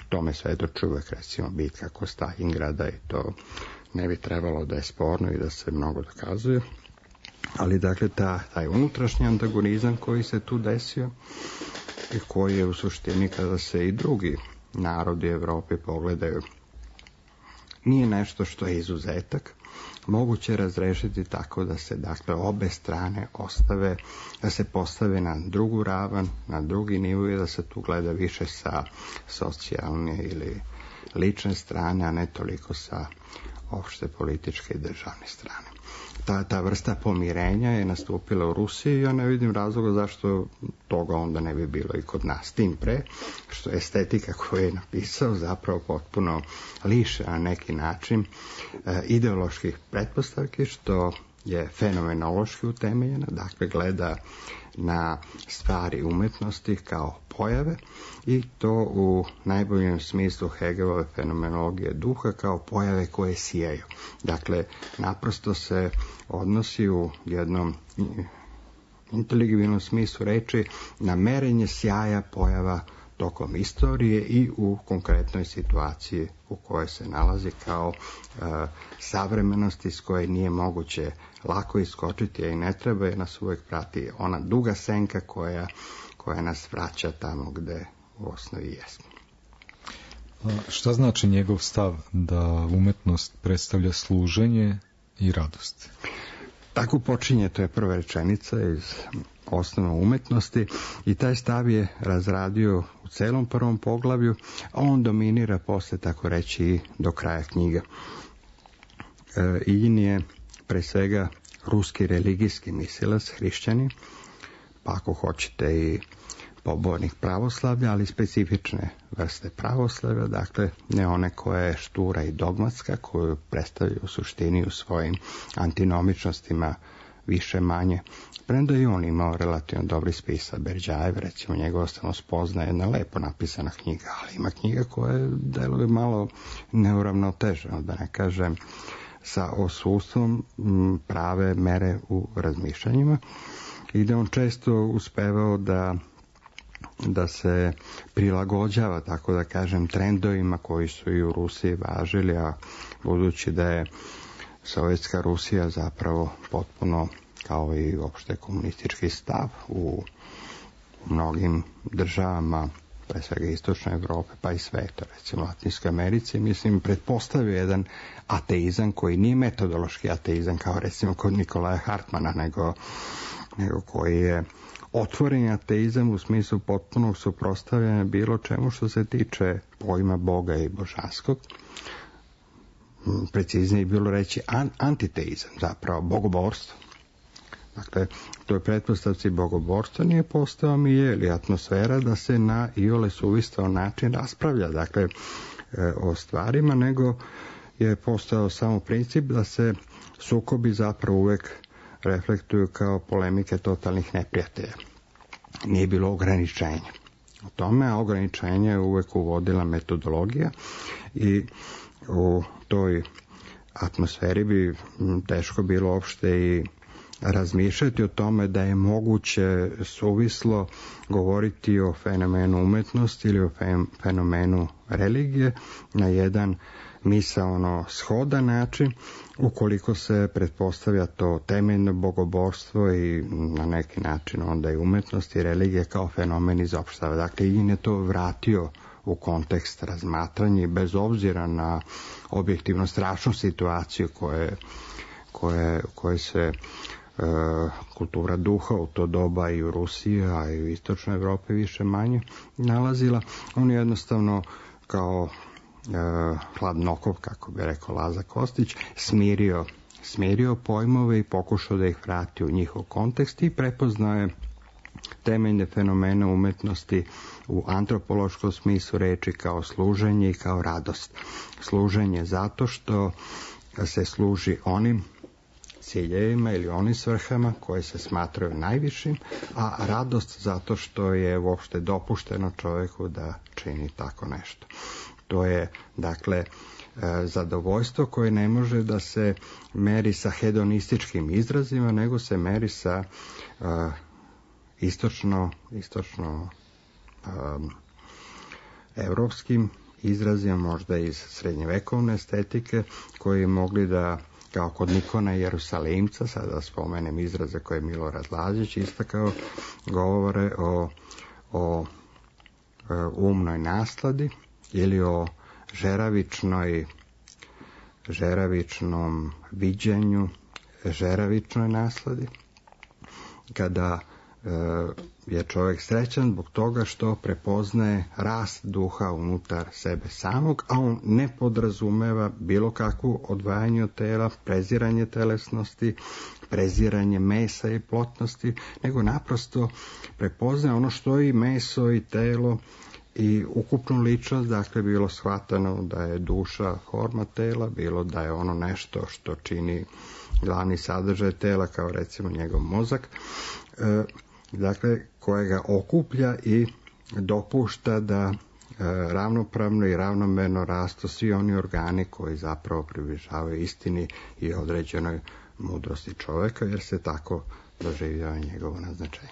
Tome svedoči uvek, recimo, bitka kod Stalingrada, i to ne bi trebalo da je sporno i da se mnogo dokazuje. Ali dakle taj unutrašnji antagonizam koji se tu desio i koji je u suštini, kada se i drugi narodi Evrope pogledaju, nije nešto što je izuzetak, moguće razrešiti tako da se, dakle, obe strane ostave, da se postave na drugu ravan, na drugi nivo, i da se tu gleda više sa socijalne ili lične strane, a ne toliko sa opšte političke i državne strane. ta vrsta pomirenja je nastupila u Rusiji i ja ne vidim razloga zašto toga onda ne bi bilo i kod nas. Tim pre, što estetika koju je napisao zapravo potpuno liše na neki način ideoloških pretpostavki, što je fenomenološki utemeljena, dakle gleda na stvari umetnosti kao pojave i to u najboljem smislu Hegelove fenomenologije duha kao pojave koje sijaju. Dakle, naprosto se odnosi u jednom inteligibilnom smislu reči na merenje sjaja pojava tokom istorije i u konkretnoj situaciji u kojoj se nalazi kao savremenosti s koje nije moguće lako iskočiti, a i ne treba, jer nas uvek prati ona duga senka koja nas vraća tamo gde u osnovi jesmo. Šta znači njegov stav da umetnost predstavlja služenje i radost? Tako počinje, to je prva rečenica iz Osnova umetnosti i taj stav je razradio u celom prvom poglavlju, a on dominira posle, tako reći, i do kraja knjiga. Iljin je pre svega ruski religijski mislilac, hrišćanin, pa ako hoćete i pobornik pravoslavlja, ali specifične vrste pravoslavlja, dakle ne one koja je štura i dogmatska, koju predstavlja u suštini u svojim antinomičnostima više manje. Premda i on imao relativno dobri spisa. Berdjajev, recimo, njegova Samospoznaja je jedna lepo napisana knjiga, ali ima knjiga koja deluje malo neuravnoteženo, da ne kažem sa osustvom prave mere u razmišljanjima i da on često uspevao da se prilagođava, tako da kažem, trendovima koji su i u Rusiji važili, a budući da je Sovjetska Rusija zapravo potpuno, kao i uopšte komunistički stav u mnogim državama, pre svega istočne Evrope, pa i sveta, recimo Latinskoj Americi, mislim, pretpostavio jedan ateizam koji nije metodološki ateizam, kao recimo kod Nikolaja Hartmana, nego koji je otvoreni ateizam u smislu potpunog suprotstavljanja bilo čemu što se tiče pojma Boga i božanskog. Preciznije bilo reći antiteizam, zapravo bogoborstvo. Dakle, to je pretpostavci bogoborstva nije postao milje ili atmosfera da se na iole suvistao način raspravlja, dakle, o stvarima, nego je postao samo princip da se sukobi zapravo uvek reflektuju kao polemike totalnih neprijatelja. Nije bilo ograničenja u tome, a ograničenje je uvek uvodila metodologija i u toj atmosferi bi teško bilo uopšte i razmišljati o tome da je moguće suvislo govoriti o fenomenu umetnosti ili o fenomenu religije na jedan misaono shodan način, ukoliko se pretpostavlja to temeljno bogoborstvo i na neki način onda i umetnost i religije kao fenomen izopštava. Dakle, Iljin je to vratio u kontekst razmatranja i bez obzira na objektivno strašnu situaciju koje se kultura duha u to doba i u Rusiji, a i u istočnoj Evropi više manje nalazila. On jednostavno kao hladnokop, kako bi rekao Laza Kostić, smirio pojmove i pokušao da ih vrati u njihov kontekst i prepoznao je temeljne fenomene umetnosti u antropološkom smislu reči kao služenje i kao radost. Služenje zato što se služi onim ciljevima ili onim svrhama koje se smatraju najvišim, a radost zato što je uopšte dopušteno čovjeku da čini tako nešto. To je, dakle, zadovoljstvo koje ne može da se meri sa hedonističkim izrazima, nego se meri sa istočno evropskim izrazima, možda iz srednjevekovne estetike, koji mogli da, kao kod Nikona Jerusalimca, sada spomenem izraze koje je Milorad Lazić istakao, govore o umnoj nasladi ili o žeravičnom viđenju, žeravičnoj nasladi, kada je čovjek srećan zbog toga što prepoznaje rast duha unutar sebe samog, a on ne podrazumeva bilo kakvu odvajanje od tela, preziranje telesnosti, preziranje mesa i plotnosti, nego naprosto prepoznaje ono što i meso i telo i ukupnu ličnost, dakle bilo shvatano da je duša forma tela, bilo da je ono nešto što čini glavni sadržaj tela, kao recimo njegov mozak, dakle kojega okuplja i dopušta da ravnopravno i ravnomerno rastu svi oni organi koji zapravo približavaju istini i određenoj mudrosti čovjeka, jer se tako doživljava njegovo naznačenje.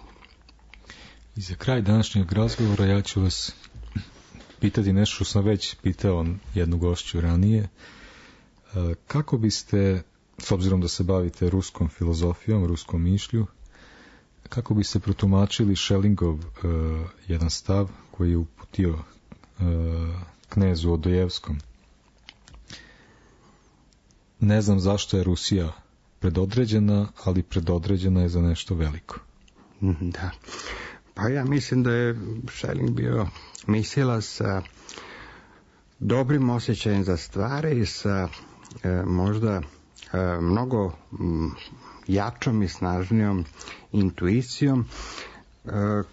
I za kraj današnjeg razgovora ja ću vas pitati nešto što sam već pitao jednu gošću ranije. Kako biste, s obzirom da se bavite ruskom filozofijom, ruskom mišlju, kako biste protumačili Schellingov jedan stav koji je uputio knezu Odojevskom? Ne znam zašto je Rusija predodređena, ali predodređena je za nešto veliko. Da. Pa ja mislim da je Schelling bio mislilac sa dobrim osjećajem za stvari i sa možda mnogo jačom i snažnijom intuicijom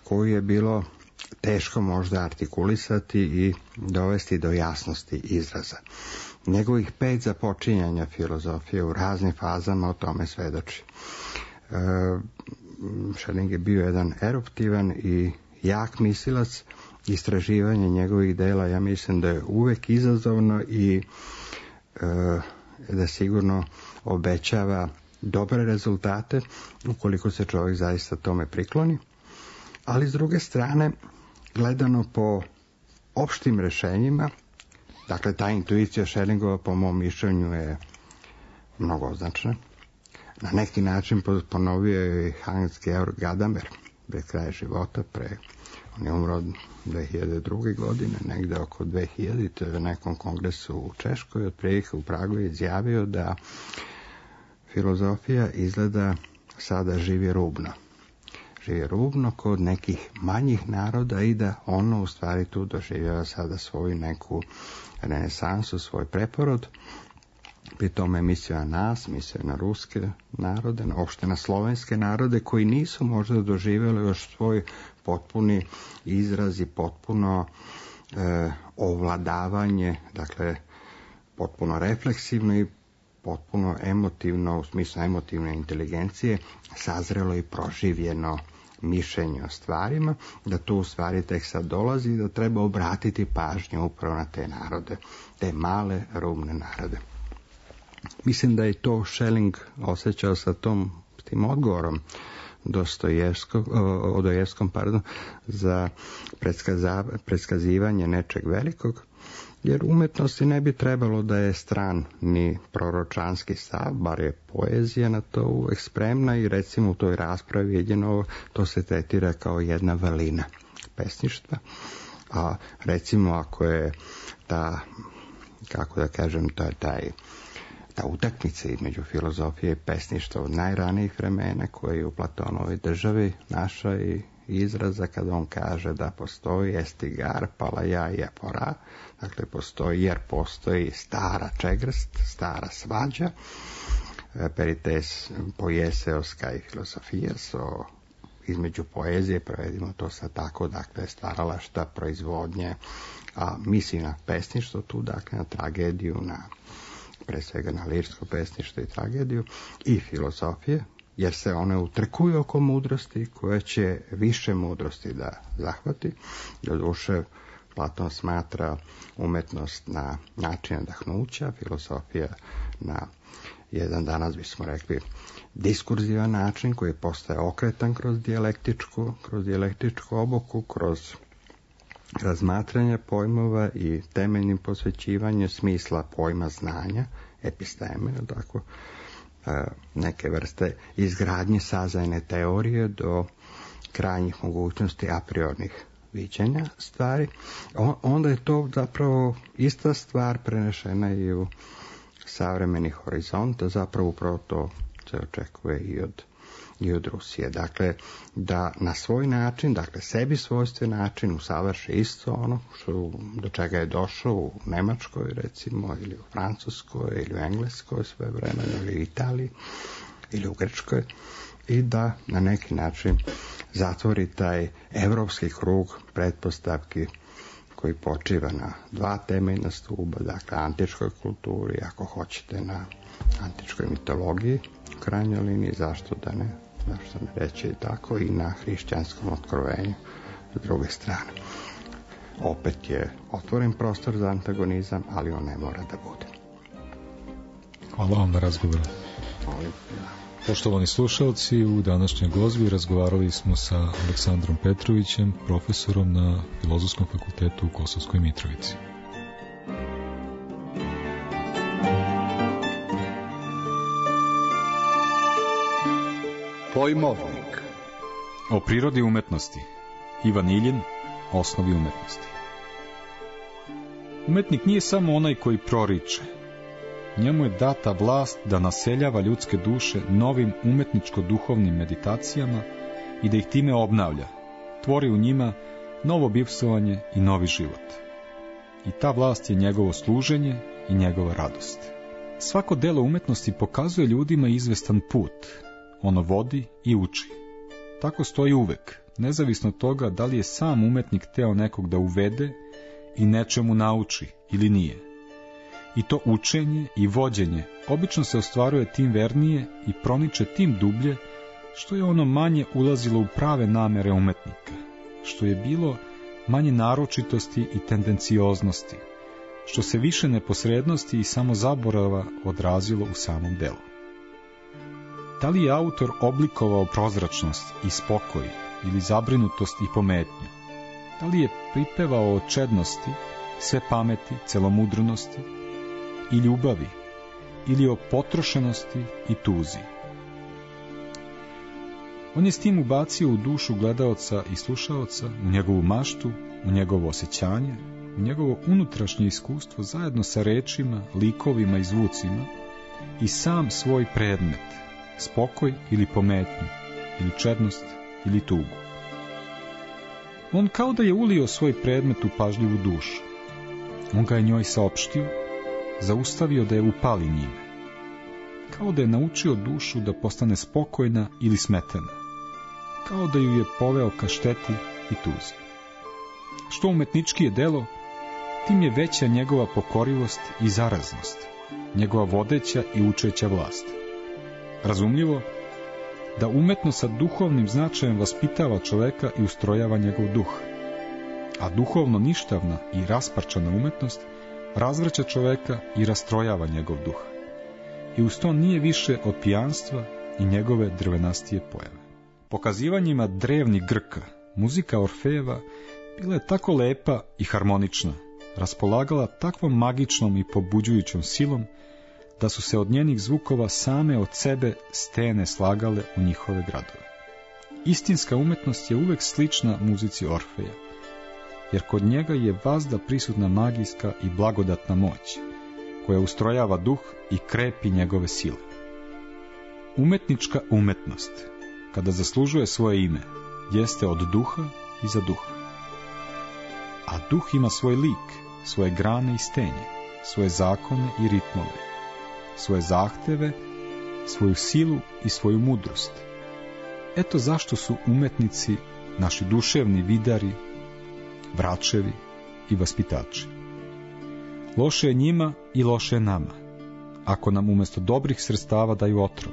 koju je bilo teško možda artikulisati i dovesti do jasnosti izraza. Njegovih 5 započinjanja filozofije u raznim fazama o tome svedoči. Schelling je bio jedan eruptivan i jak mislilac. Istraživanje njegovih dela, ja mislim da je uvek izazovno i da sigurno obećava dobre rezultate ukoliko se čovjek zaista tome prikloni. Ali s druge strane, gledano po opštim rešenjima, dakle ta intuicija Schellingova po mom mišljenju je mnogo označna. Na neki način ponovio je Hans Georg Gadamer pred kraj života, on je umro 2002. godine, negde oko 2000. To je u nekom kongresu u Češkoj, otprilike u Pragu je izjavio da filozofija izgleda sada živi rubno. Živi rubno kod nekih manjih naroda i da ono u stvari tu doživljava sada svoju neku renesansu, svoj preporod. Pri tome je mislio na nas, mislio na ruske narode, uopšte na slovenske narode koji nisu možda doživjeli još svoj potpuni izraz i potpuno ovladavanje, dakle potpuno refleksivno i potpuno emotivno, u smislu emotivne inteligencije, sazrelo i proživljeno mišljenje o stvarima, da tu u stvari tek sad dolazi i da treba obratiti pažnju upravo na te narode, te male rubne narode. Mislim da je to Schelling osjećao sa tim odgovorom Odojevskom za predskazivanje nečeg velikog, jer umetnosti ne bi trebalo da je stran ni proročanski stav, bar je poezija na to uvek spremna i recimo u toj raspravi jedino to se tretira kao jedna vrlina pesništva, a recimo ako je ta, kako da kažem, to je ta utakmica između filozofije i pesništva od najranijih vremena koje je u Platonovoj državi naša i izraza kada on kaže da postoji estigar, palaja i apora, dakle postoji jer postoji stara čegrst, stara svađa, perites poieseos kai filosofias, između poezije, prevedimo to sad tako, dakle stvaralašta, proizvodnje, a misli na pesništvo tu, dakle na tragediju, pre svega na lirsko pesništvo i tragediju i filozofije, jer se one utrkuju oko mudrosti koja će više mudrosti da zahvati. Doduše, Platon smatra umetnost na način nadahnuća, filozofija na jedan, danas bismo rekli, diskurzivan način koji postaje okretan kroz dijalektičku oboku, kroz razmatranje pojmova i temeljnim posvećivanje smisla pojma znanja, episteme, tako, neke vrste izgradnje sazajne teorije do krajnjih mogućnosti a priornih viđenja stvari. Onda je to zapravo ista stvar prenešena i u savremeni horizont, zapravo upravo to se očekuje i od i od Rusije. Dakle, da na svoj način, dakle sebi svojstven način usavrši isto ono do čega je došao u Nemačkoj recimo, ili u Francuskoj, ili u Engleskoj sve vremena, ili u Italiji, ili u Grčkoj, i da na neki način zatvori taj evropski krug pretpostavki koji počiva na dva temeljna stuba, dakle antičkoj kulturi, ako hoćete na antičkoj mitologiji, u krajnjoj liniji, zašto ne reći i tako, i na hrišćanskom otkrovenju s druge strane. Opet je otvoren prostor za antagonizam, ali on ne mora da bude. Hvala vam na razgovoru. Poštovani slušalci, u današnjoj glazbi razgovarali smo sa Aleksandrom Petrovićem, profesorom na Filozofskom fakultetu u Kosovskoj Mitrovici. Pojmovnik. O prirodi umetnosti. Ivan Iljin, osnovi umetnosti. Umetnik nije samo onaj koji proriče. Njemu je data vlast da naseljava ljudske duše novim umetničko-duhovnim meditacijama i da ih time obnavlja, tvori u njima novo bivstvovanje i novi život. I ta vlast je njegovo služenje i njegova radost. Svako delo umetnosti pokazuje ljudima izvestan put. Ono vodi i uči. Tako stoji uvek, nezavisno od toga da li je sam umetnik teo nekog da uvede i nečemu nauči ili nije. I to učenje i vođenje obično se ostvaruje tim vernije i proniče tim dublje, što je ono manje ulazilo u prave namere umetnika, što je bilo manje naročitosti i tendencioznosti, što se više neposrednosti i samozaborava odrazilo u samom delu. Da li je autor oblikovao prozračnost i spokoj ili zabrinutost i pometnju? Da li je pripevao o čednosti, sve pameti, celomudrnosti i ljubavi, ili o potrošenosti i tuzi? On je s tim ubacio u dušu gledaoca i slušaoca, u njegovu maštu, u njegovo osjećanje, u njegovo unutrašnje iskustvo zajedno sa rečima, likovima i zvucima i sam svoj predmet, spokoj ili pometnju, ili čednost ili tugu. On kao da je ulio svoj predmet u pažljivu dušu. On ga je njoj saopštio, zaustavio da je upali njime. Kao da je naučio dušu da postane spokojna ili smetena. Kao da ju je poveo ka šteti i tuzi. Što umetnički je delo, tim je veća njegova pokorivost i zaraznost, njegova vodeća i učeća vlast. Razumljivo da umetno sa duhovnim značajem vaspitava čoveka i ustrojava njegov duh, a duhovno ništavna i rasparčana umetnost razvraća čoveka i rastrojava njegov duh. I uz to nije više od pijanstva i njegove drvenastije pojave. Pokazivanjima drevnih Grka, muzika Orfejeva bila je tako lepa i harmonična, raspolagala takvom magičnom i pobuđujućom silom, da su se od njenih zvukova same od sebe stene slagale u njihove gradove. Istinska umetnost je uvek slična muzici Orfeja, jer kod njega je vazda prisutna magijska i blagodatna moć, koja ustrojava duh i krepi njegove sile. Umetnička umetnost, kada zaslužuje svoje ime, jeste od duha i za duha. A duh ima svoj lik, svoje grane i stenje, svoje zakone i ritmove, svoje zahteve, svoju silu i svoju mudrost. Eto zašto su umetnici naši duševni vidari, vračevi i vaspitači. Loše je njima i loše je nama, ako nam umjesto dobrih sredstava daju otrov,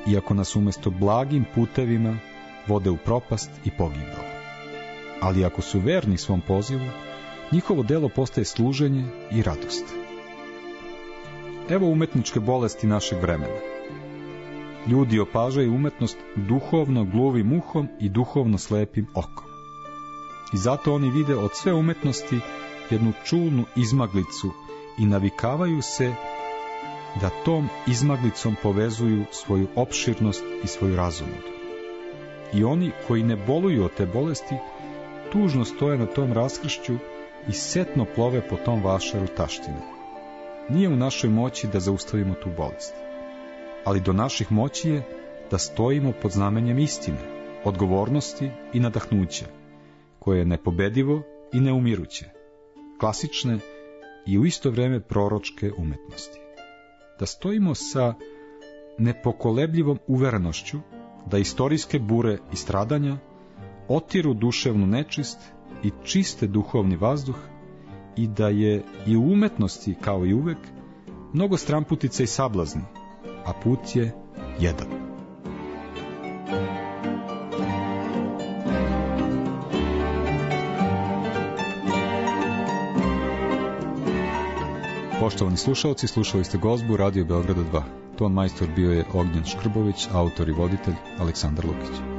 i ako nas umjesto blagim putevima vode u propast i pogibao. Ali ako su verni svom pozivu, njihovo delo postaje služenje i radost. Evo umetničke bolesti našeg vremena. Ljudi opažaju umetnost duhovno gluvim uhom i duhovno slepim okom. I zato oni vide od sve umetnosti jednu čulnu izmaglicu i navikavaju se da tom izmaglicom povezuju svoju opširnost i svoju razonodu. I oni koji ne boluju od te bolesti, tužno stoje na tom raskršću i setno plove po tom vašaru taštine. Nije u našoj moći da zaustavimo tu bolest, ali do naših moći je da stojimo pod znamenjem istine, odgovornosti i nadahnuća, koje je nepobedivo i neumiruće, klasične i u isto vrijeme proročke umetnosti. Da stojimo sa nepokolebljivom uverenošću da istorijske bure i stradanja otiru duševnu nečist i čiste duhovni vazduh i da je i u umetnosti, kao i uvek, mnogo stramputica i sablazni, a put je jedan. Poštovani slušalci, slušali ste gozbu Radio Beograda 2. Ton majstor bio je Ognjen Škrbović, autor i voditelj Aleksandar Lukić.